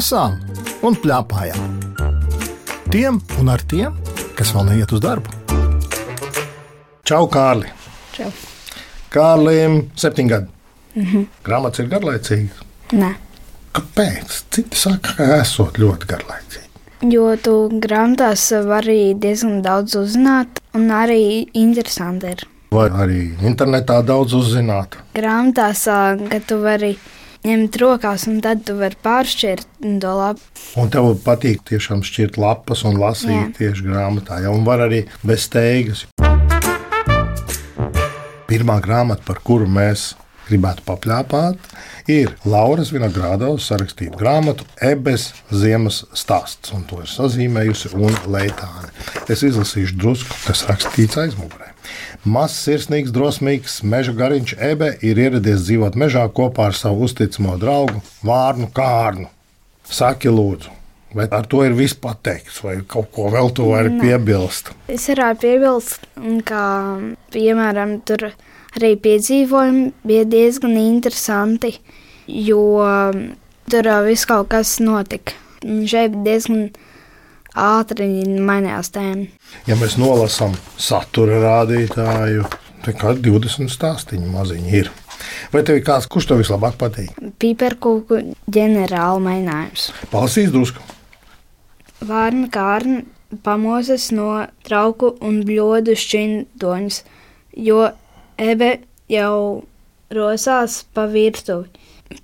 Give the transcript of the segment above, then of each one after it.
lasām un pļāpājām. Tiem un ar tiem, kas vēl neiet uz darbu. Čau, Kārli! Čau. Kārlim 7 gadi. Grāmatas ir garlaicīgas? Nē. Kāpēc? Citi saka, ka esot ļoti garlaicīgi. Jo tu grāmatās vari diezgan daudz uzzināt, un arī interesanti ir. Vai arī internetā daudz uzzināt? Grāmatās, ka tu vari ņemt rokās, un tad tu vari pāršķirt to lapu. Un tev patīk tiešām šķirt lapas un lasīt tieši grāmatā, ja? Un var arī bez steigas. Pirmā grāmata, par kuru mēs gribētu papļāpāt, ir Lauras Vinogrādovas sarakstīta grāmatu Ebes ziemas stāsts, un to ir sazīmējusi un Leitāne. Es izlasīšu drusku, kas rakstīts aizmugurē. Mazs, sirsnīgs, drosmīgs meža gariņš Ebe ir ieradies dzīvot mežā kopā ar savu uzticamo draugu Vārnu Kārnu. Saki lūdzu, vai ar to ir viss pateikts, vai kaut ko vēl tu vari piebilst? Es varētu piebilst, ka, piemēram, tur arī piedzīvojumi bija diezgan interesanti, jo tur viss kaut kas notika. Šeit diezgan ātri mainījās tēma. Ja mēs nolasām satura rādītāju, tad kā 20 stāstiņi maziņi ir. Vai tev ir kāds, kurš tev vislabāk patīk? Piparkūku ģenerāla mēģinājums. Palasīs drusku. Vārna Kārna pamosas no trauku un bļodu šķindoņas, jo Ebe jau rosās pa virtuvi.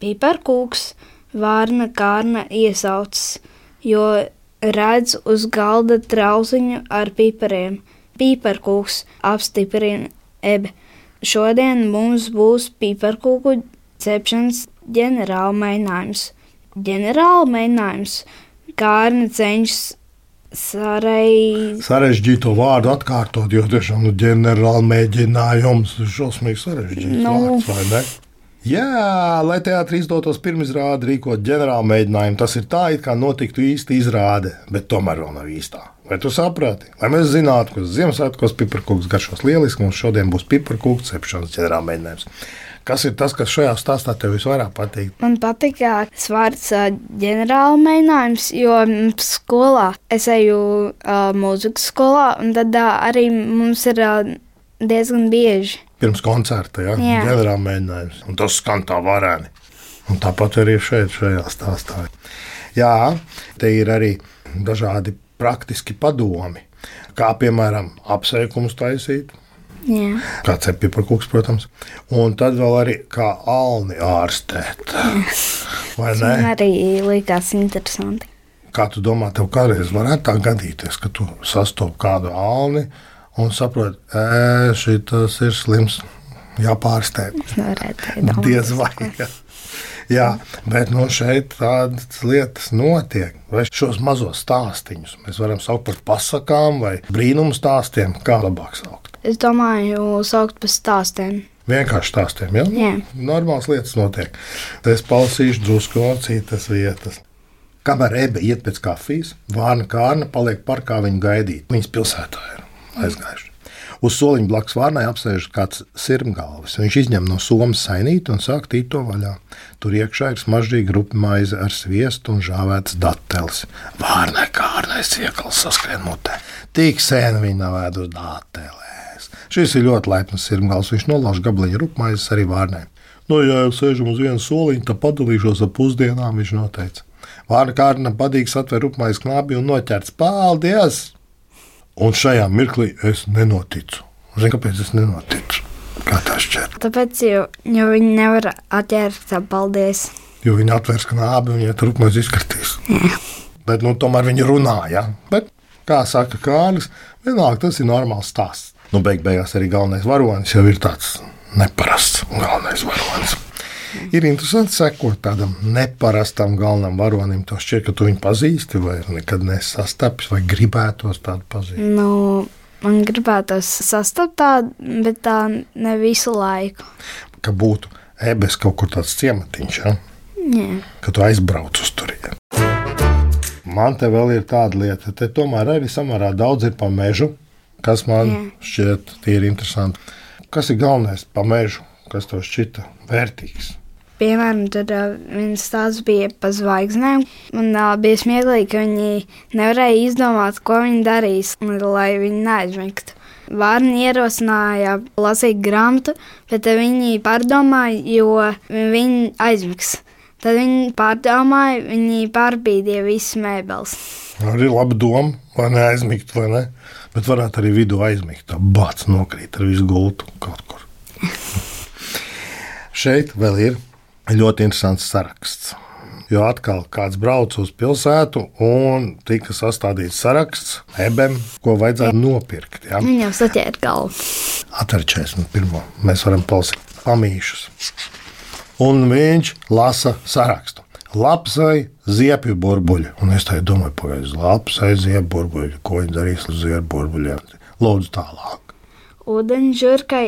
Piparkūks Vārna Kārna iesaucas, jo redz uz galda trauziņu ar pipariem. Piparkūks apstiprina Ebe. Šodien mums būs piparkūku cepšanas ģenerāla mēģinājums. Ģenerāla mēģinājums. Kārna cenšas sarežģīto vārdu atkārtot, jo tiešām ģenerāla mēģinājums ir šausmīgi sarežģīts vārds, vai ne? Jā, lai teātrī izdotos pirmizrādi rīkot ģenerāla mēģinājumu, tas ir tā, it kā notiktu īsti izrāde, bet tomēr vēl nav īstā. Vai tu saprati? Lai mēs zinātu, ka Ziemassvētkos piparkūks garšos lieliski, mums šodien būs piparkūku cepšanas ģenerāla mēģinājums. Kas ir tas, kas šajā stāstā tev visvairāk patīk? Man patīk tas vārds ģenerāla mēģinājums, jo skolā es eju mūzikas skolā, un tad arī mums ir diezgan bieži. Pirms koncerta, ja? Ģenerāla mēģinājums. Un tas skan tā varēni. Un tāpat arī šeit, šajā stāstā. Jā, te ir arī dažādi praktiski padomi, kā piemēram apsveikumus taisīt. Jā. Kā cep piparkūks, protams. Un tad vēl arī kā alni ārstēt. Vai ne? Man arī likās interesanti. Kā tu domā, tev kādreiz varētu tā gadīties, ka tu sastopi kādu alni un saproti, šitas ir slims, jāpārstē. Es nevarētu domāt. Diez vai. Jā, bet šeit tādas lietas notiek. Vai šos mazos stāstiņus mēs varam saukt par pasakām vai brīnumu stāstiem? Kā labāk saukt? Es domāju, saukt par stāstiem. Vienkārši stāstiem, ja? Jā. Normāls lietas notiek. Tad es palasīšu drusku no citas vietas. Kamēr Ebe iet pēc kafijas, Vārna Kārna paliek parkā viņu gaidīt. Viņas pilsētā ir aizgājuši. Uz soliņa blakus Vārnai apsēžas kāds sirmgalvis. Viņš izņem no somas sainīti un sāk tīt to vaļā. Tur iekšā ir smaržīga rupi maize ar sviestu un žāvētas dateles. Vārnai Kārnai siekals saskrien mutē. Tik sen viņa nav ēdus datelēs. Šis ir ļoti laipns sirmgals. Viņš nolauž gabaliņu rupmaizes arī Vārnai. Ja jau sēžam uz vienu soliņu, tad padalīšos ar pusdienām, viņš noteica. Vārna Kārna padīgs atver rupmaizes knābi un noķerts. Paldies! Un šajā mirklī es nenoticu. Zini, kāpēc es nenoticu? Kā tā šķiet? Tāpēc, jo viņi nevar atķert paldies. Jo viņi atvērs knābi un viņai rupmaizi izkartīs. Jā. Bet tomēr viņi runā, ja? Bet, kā saka Kārlis, vienalga tas ir normāls stāsts. Beigās arī galvenais varonis jau ir tāds neparasts galvenais varonis. Ir interesanti sekot tādam neparastam galvenam varonim. Tev šķiet, ka tu viņu pazīsti vai nekad nesastapis vai gribētos tādu pazīt? Man gribētos sastapt tādu, bet tā ne visu laiku. Ka būtu Ebes kaut kur tāds ciematiņš, ja? Jā. Ka tu aizbrauc uz turieni. Man te vēl ir tāda lieta, te tomēr arī samērā daudz ir pa mežu. Kas man šķiet tīri interesanti. Kas ir galvenais pa mežu, kas tev šķita vērtīgs? Piemēram, tad viens stāsts bija par zvaigznēm. Man bija smieklīgi, ka viņi nevarēja izdomāt, ko viņi darīs, lai viņi neaizmigtu. Vārni ierosināja lasīt grāmatu, bet viņi pārdomāja, jo viņi aizmigs. Tad viņi pārdomāja, viņi pārbīdīja visas mēbeles. Arī laba doma, lai neaizmigt, vai ne? Bet varētu arī vidū aizmigt. Tā bāc nokrīt ar visu gultu kaut kur. Šeit vēl ir ļoti interesants saraksts. Jo atkal kāds brauc uz pilsētu un tika sastādīts saraksts ebem, ko vajadzētu nopirkt. Ja? Viņam saķēra galvu. Atver 41. Mēs varam palasīt pamīšus. Un viņš lasa sarakstu. Lapsai ziepju burbuļi. Un es tā domāju, pagaidzi, lapsai ziepju burbuļi. Ko viņi darīs ar ziepju burbuļiem? Lūdzu tālāk. Ūdeņžurkai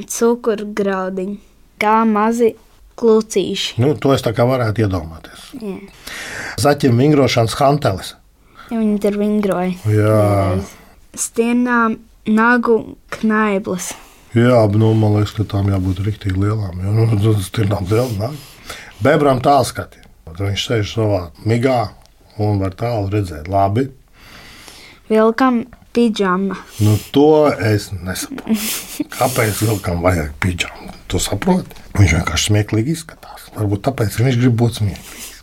cukurgraudiņi, kā mazi klucīši. To es tā kā varētu iedomāties. Jā. Zaķim vingrošanas hantelis. Ja viņi tur vingroja. Jā. Stienām nagu knaiblas. Jā, man liekas, ka tām jābūt riktīgi lielām. Tas ir liela. Bebram tālskati. Viņš sēž savā migā un var tālu redzēt labi. Vilkam pidžama. To es nesaprotu. Kāpēc vilkam vajag pidžamu? Tu saproti? Viņš vienkārši smieklīgi izskatās. Varbūt tāpēc viņš grib būt smieklīgs.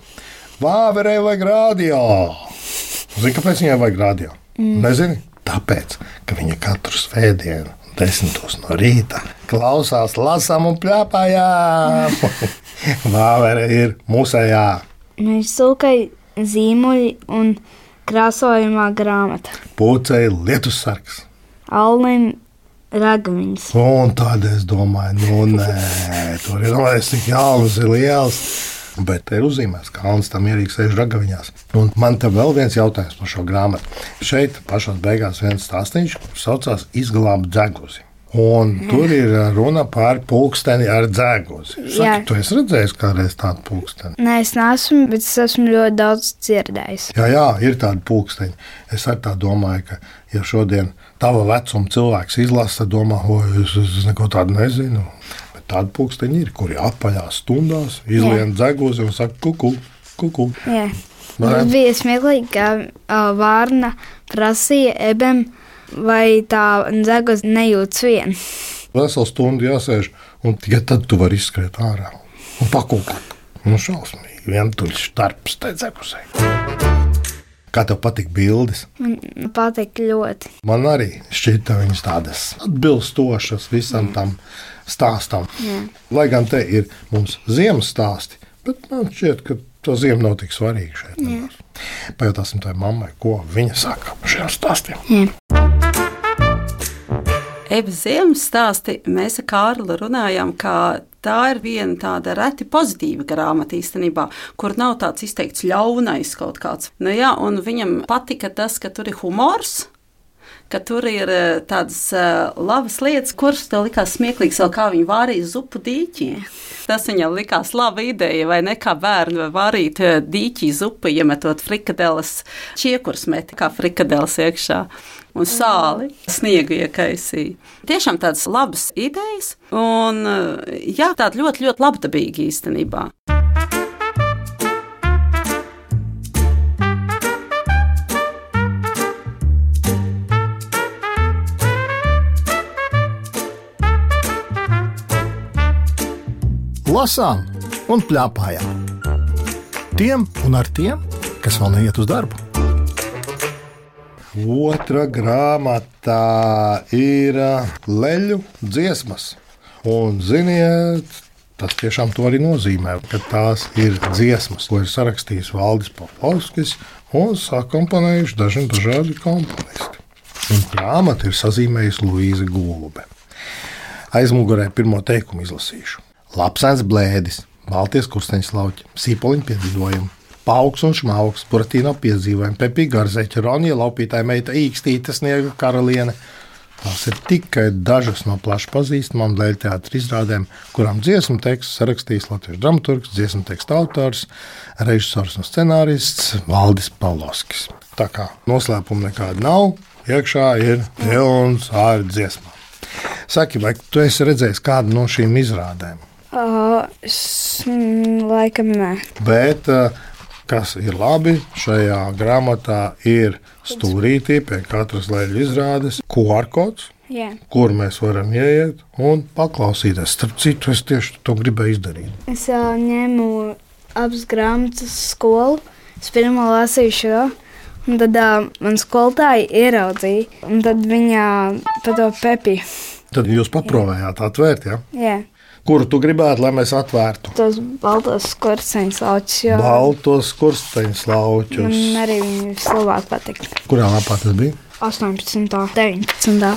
Vāverei vajag radio. Zini, kāpēc viņai vajag radio? Nezini? Tāpēc, ka viņa katru svētdienu 10 no rīta klausās, lasām un pļāpājām. Vāvere ir musējā. Viņš sūkai zīmuļi un krāsojumā grāmata. Pūcei lietussargs. Alnim ragaviņas. Un tad es domāju, nē, tur ir tik jauns, ir liels. Bet te ir uzzīmēts, ka Alnis tam mierīgi sēž ragaviņās. Un man te vēl viens jautājums par šo grāmatu. Šeit pašās beigās viens stāstīņš, kurš saucās Izglābt dzeguzi. Un tur ir runa par pulksteni ar dzeguzi. Saki, tu esi redzējis kādreiz tādu pulksteni? Nē, es neesmu, bet es esmu ļoti daudz dzirdējis. Jā, ir tādi pulksteņi. Es arī tā domāju, ka ja šodien tava vecuma cilvēks izlasa, tad domā, es neko tādu nezinu. Tādi pulksteņi ir, kuri apaļās stundās, izlien dzeguzi un saka kuku, kuku. Jā. Tas bija smieklīgi, ka Vārna prasīja ebem, vai tā dzeguzi nejūtas vien. Veselu stundu jāsēž, un tikai tad tu vari izskriet ārā un pakūkāt. Šausmīgi, vientuļš darbs tai dzeguzei. Kā tev patīk bildes? Man patīk ļoti. Man arī šķita viņas tādas atbilstošas visam tam stāstam. Jā. Lai gan te ir mums ziemas stāsti, bet man šķiet, ka to ziema nav tik svarīga šeit. Pajautāsim tai mammai, ko viņa saka par šiem stāstiem. Jā. Ebas ziemas stāsti mēs ar Kārli runājām, ka tā ir viena tāda reti pozitīva grāmata īstenībā, kur nav tāds izteikts ļaunais kaut kāds. Un viņam patika tas, ka tur ir humors, ka tur ir tādas labas lietas, kuras tev likās smieklīgas, vēl kā viņi vārīja zupu dīķī. Tas viņam likās laba ideja, vai ne, kā bērni vārīt dīķī zupu, iemetot frikadeles, čiekurs meti kā frikadeles iekšā. Un sāli, sniegu iekaisīja. Tiešām tādas labas idejas, un jā, tāda ļoti, ļoti labdabīga īstenībā. Lasām un pļāpājām. Tiem un ar tiem, kas vēl neiet uz darbu. Otra grāmatā ir leļu dziesmas. Un, ziniet, tas tiešām to arī nozīmē, ka tās ir dziesmas, ko ir sarakstījis Valdis Popovskis un sakomponējuši dažādi komponisti. Un grāmatu ir sazīmējusi Luīze Gulbe. Aizmugurē pirmo teikumu izlasīšu. Lapsens blēdis, balties kursteņas lauķi, sīpoliņu piedzīvojumi. Pauks un šmauks, Buratīno piedzīvojumi, Pepija Garzeķa, Ronija laupītāja meita Īkstīte, Sniega karaliene. Tās ir tikai dažas no plaši pazīstamām leļu teātra izrādēm, kurām dziesmu tekstu sarakstījis latviešu dramaturgs, dziesmu teksta autors, režisors un scenārists Valdis Pavlovskis. Tā kā noslēpuma nekāda nav, iekšā ir pilns ar dziesmām. Saki, vai tu esi redzējis kādu no šīm izrādēm? Laikam nē. Bet, kas ir labi, šajā grāmatā ir stūrītī pie katras leļu izrādes QR kods, Jā. kur mēs varam ieiet un paklausīties. Starp citu, es tieši to gribēju izdarīt. Es ņēmu abas grāmatas skolu. Es pirmo lasīju šo, un tad man skolotāja ieraudzīja, un tad viņa pa to pepīja. Tad jūs paprovējāt atvērt, ja? Jā, Kuru tu gribētu, lai mēs atvērtu? tos baltos skursteņus lauķus, jo Baltos skursteņus lauķus. man arī viņi vislabāk patīk. Kurā lapā tas bija? 18. 19.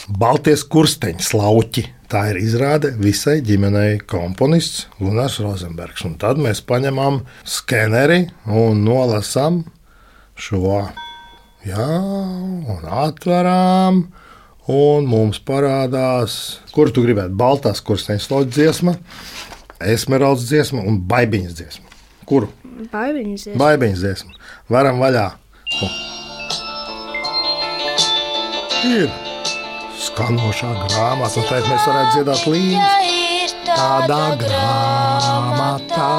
Baltie skursteņi slauķi. Tā ir izrāde visai ģimenei komponists Gunārs Rozenbergs. Un tad mēs paņemam skeneri un nolasām šo. Jā, un atveram. Un mums parādās, kuru tu gribētu. Baltās skursteņu slauķu dziesma, esmeraldas dziesma un baibiņas dziesma. Kuru? Baibiņas. Baibiņas dziesma. Varam vaļā. Ir skanošā grāmata, un tad mēs varētu dziedāt līdzi. Tādā grāmatā,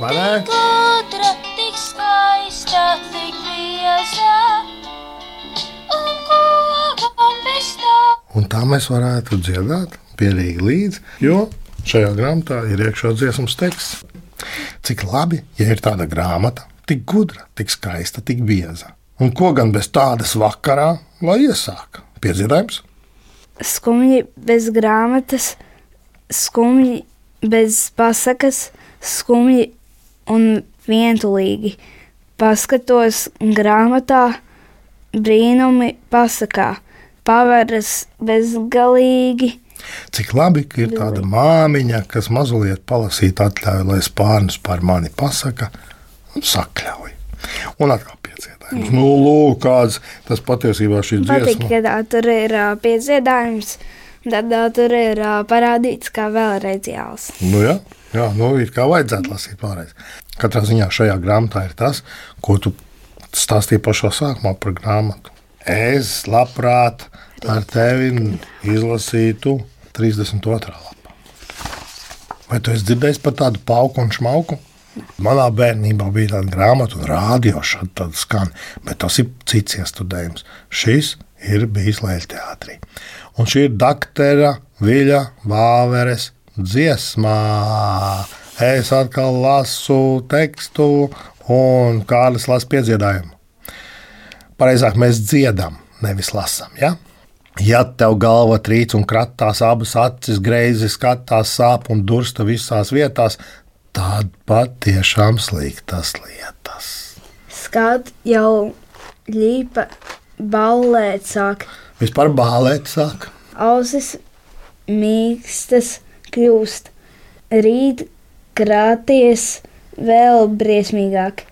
vai ne? Gudra, tik skaista, tik bieza, un ko gan bez tā? Un tā mēs varētu dziedāt pierīgi līdzi, jo šajā grāmatā ir iekšā dziesmas teksts. Cik labi, ja ir tāda grāmata, tik gudra, tik skaista, tik bieza. Un ko gan bez tādas vakarā, lai iesāk? Piedziedājums? Skumji bez grāmatas, skumji bez pasakas, skumji un vientulīgi. Paskatos grāmatā, brīnumi pasakā, paveras bezgalīgi. Cik labi, ka ir tāda māmiņa, kas mazliet palasīt atļauj, lai spārnus par mani pasaka un sakļauj. Un atkal piedziedājums. Nu, lūk, kāds tas patiesībā šī Patīk, dziesma. ka tur ir piedziedājums, tad tur ir parādīts kā vēlreiz jālas. Nu, jā, ir kā vajadzētu lasīt vēlreiz. Katrā ziņā šajā grāmatā ir tas, ko tu stāstīji pašā sākumā par grāmatu. Es labprāt ar tevi izlasītu 32. lapā. Vai tu esi dzirdējis par tādu pauku un šmauku? Manā bērnībā bija tāda grāmata un rādio šādi tāda skan, bet tas ir cits iestudējums. Šis ir bijis Leļteātrī. Un šī ir Daktera Viļa Vāveres dziesmā. Es atkal lasu tekstu un Kārlis lasa piedziedājumu. Pareizāk mēs dziedam, nevis lasam, ja? Ja tev galva trīc un kratās, abas acis greizi skatās, sāp un dursta visās vietās, tad patiešām sliktas lietas. Skat jau ļīpa ballēt sāk, Vispār bālēt sāk. ausis mīkstas kļūst, rīt krāties vēl briesmīgāk,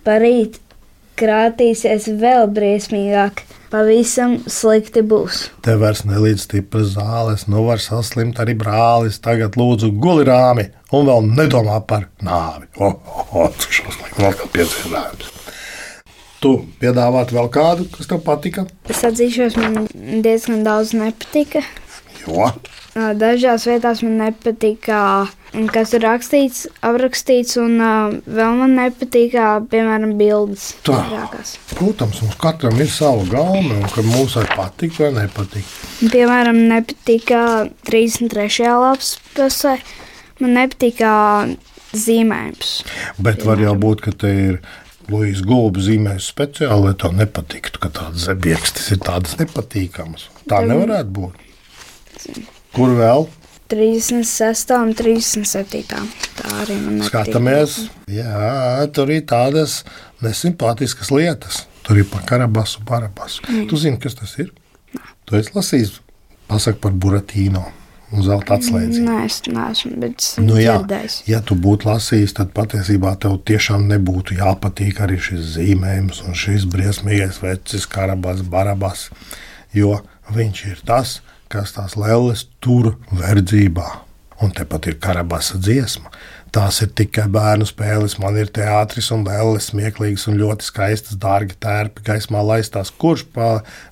parīt krātīsies vēl briesmīgāk, pavisam slikti būs. Tev vairs nelīdz stipras zāles, nu var saslimt arī brālis. Tagad lūdzu guli rāmi un vēl nedomā par nāvi. Tas šausmīgi, vēl kā piedziedājums. Tu piedāvāt vēl kādu, kas tev patika? Es atzīšos, man diezgan daudz nepatika. Jo? Dažās vietās man nepatika, kas ir rakstīts, aprakstīts, un vēl man nepatika, piemēram, bildes. Tā. vairākās. Protams, mums katram ir sava gaume, un ka mums var patikt vai nepatikt. Piemēram, nepatika 33. lapas pusē, man nepatika zīmējums. Bet var jau būt, ka te ir Luīs Gulbs zīmējis speciāli, lai tev nepatiktu, ka tādas zebiekstes ir tādas nepatīkamas. Tā nevarētu būt. Kur vēl? 36. un 37. Tā arī man nepatika. Skatāmies. Jā, tur ir tādas nesimpātiskas lietas. Tur ir par Karabasu, Barabasu. Tu zini, kas tas ir? Tu esi lasījis, pasaka par Buratīno un zelta atslēdzi. Nē, es neesmu, bet es Nu, jā, dzirdējis. ja tu būtu lasījis, tad patiesībā tev tiešām nebūtu jāpatīk arī šis zīmējums un šis briesmīgais vecis Karabas, Barabas, jo viņš ir tas, kas tās lelles tur verdzībā. Un tepat ir Karabasa dziesma. Tās ir tikai bērnu spēles, man ir teātris un lelles smieklīgas un ļoti skaistas, dārgi tērpi gaismā laistās. Kurš pa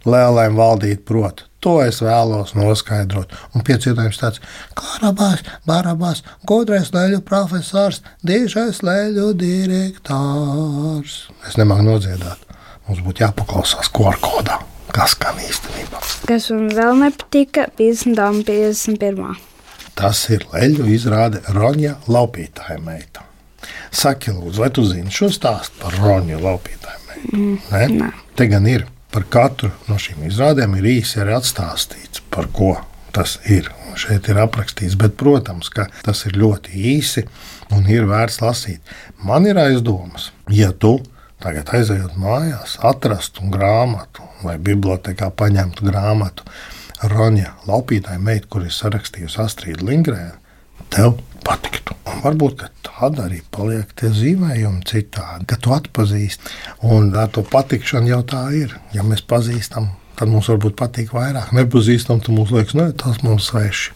lēlēm valdīt prot? To es vēlos noskaidrot. Un piecietojums tāds - Karabās, Barabās, gudrais leļu profesors, dižais leļu direktors. Es nemāku nodziedāt. Mums būtu jāpaklausās QR-kodā. Kas skan īstenībā? Kas man vēl nepatika, 50. un 51. Tas ir leļu izrāde Roņa Laupītāja meita. Saki, lūdzu, vai tu zini šo stāstu par Roņu Laupītāju meitu? Nē. Te gan ir par katru no šīm izrādēm ir īsi arī atstāstīts, par ko tas ir. Un šeit ir aprakstīts, bet, protams, ka tas ir ļoti īsi un ir vērts lasīt. Man ir aizdomas, ja tu tagad aizejot mājās, atrastu grāmatu vai bibliotekā paņemtu grāmatu Roņa Laupītāja meita, kur ir sarakstījusi Astrīda Lindgrēna, tev patiktu. Un varbūt, ka tāda arī paliek tie zīmējumi citādi, ka tu atpazīsti. Un ar to patikšanu jau tā ir. Ja mēs pazīstam, tad mums varbūt patīk vairāk. Nepazīstam, tad mums liekas, ne, tas mums sveši.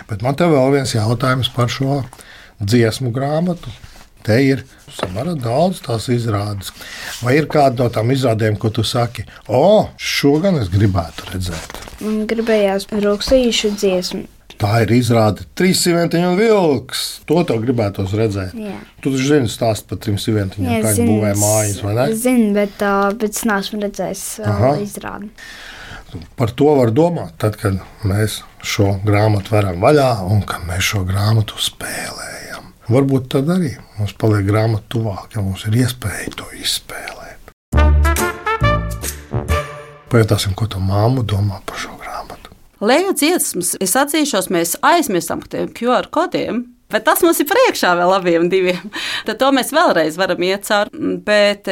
Bet man te vēl viens jautājums par šo dziesmu grāmatu. Te ir samērā daudz tās izrādes. Vai ir kāda no tām izrādēm, ko tu saki, šo gan es gribētu redzēt? Man gribējās Ruksīšu dziesmu. Tā ir izrāde Trīs sīventiņu un vilks. To tev gribētos redzēt. Jā. Tu taču zini stāstu par trim sīventiņiem, kā viņi būvēja mājas, vai ne? Es zinu, bet es neesmu redzējis izrādi. Par to var domāt, tad, kad mēs šo grāmatu varam vaļā un kad mēs šo grāmatu spēlējam. Varbūt tad arī mums paliek grāmata tuvāk, ja mums ir iespēja to izspēlēt. Pajautāsim, ko tu māmu domā par šo grāmatu. Leju dziesmas, es atzīšos, mēs aizmirstam par tiem QR kodiem, bet tas mums ir priekšā vēl abiem diviem. Tad to mēs vēlreiz varam iet cauri, bet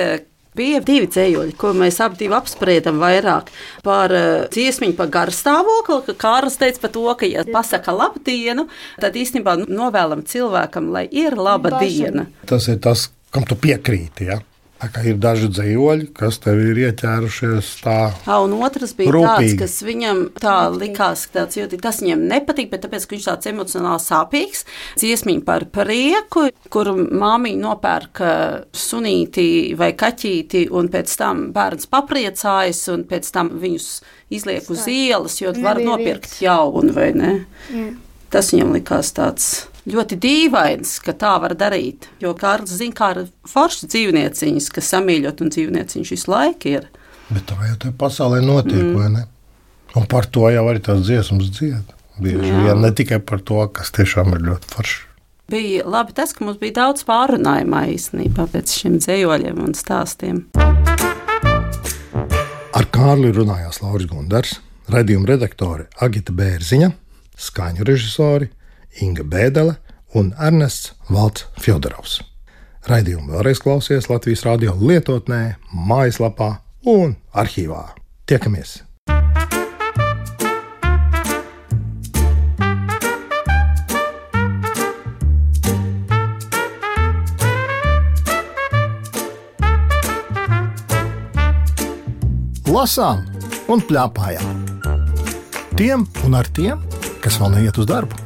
bija divi dzējoļi, ko mēs abi apspriedam vairāk par dziesmiņu par garstāvokli, ka Kārlis teica par to, ka, ja pasaka labdienu, tad īstenībā novēlam cilvēkam, lai ir laba diena. Tas ir tas, kam tu piekrīti, ja? Tā kā ir daži dzējoļi, kas tev ir ieķērušies tā un otrs bija rūpīgi. tāds, kas viņam tā likās, ka tāds jūtīgi, tas viņam nepatīk, bet tāpēc, ka viņš tāds emocionāli sāpīgs. Dziesmiņa par prieku, kur māmiņa nopērka sunīti vai kaķīti, un pēc tam bērns papriecājas, un pēc tam viņus izliek uz ielas, jo var nopirkt jaunu, vai ne? Jā. Tas viņam likās tāds ļoti dīvains, ka tā var darīt. Jo Kārlis zina, kā ar foršas dzīvnieciņas, kas samīļot un dzīvnieciņš visu laiku ir. Bet tā jau tajā pasaulē notiek, vai ne? Un par to jau arī tās dziesmas dzied. Bieži vien ne tikai par to, kas tiešām ir ļoti forši. Bija labi tas, ka mums bija daudz pārunājumā īstenībā pēc šiem dzējoļiem un stāstiem. Ar Kārli runājās Lauris Gundars, raidījuma redaktore Agita Bērziņa, skaņu režisori Inga Bēdele un Ernests Valts Fjodorovs. Raidījumu vēlreiz klausies Latvijas radio lietotnē, mājaslapā un arhīvā. Tiekamies! Lasām un pļāpājām. Tiem un ar tiem, kas vēl neiet uz darbu.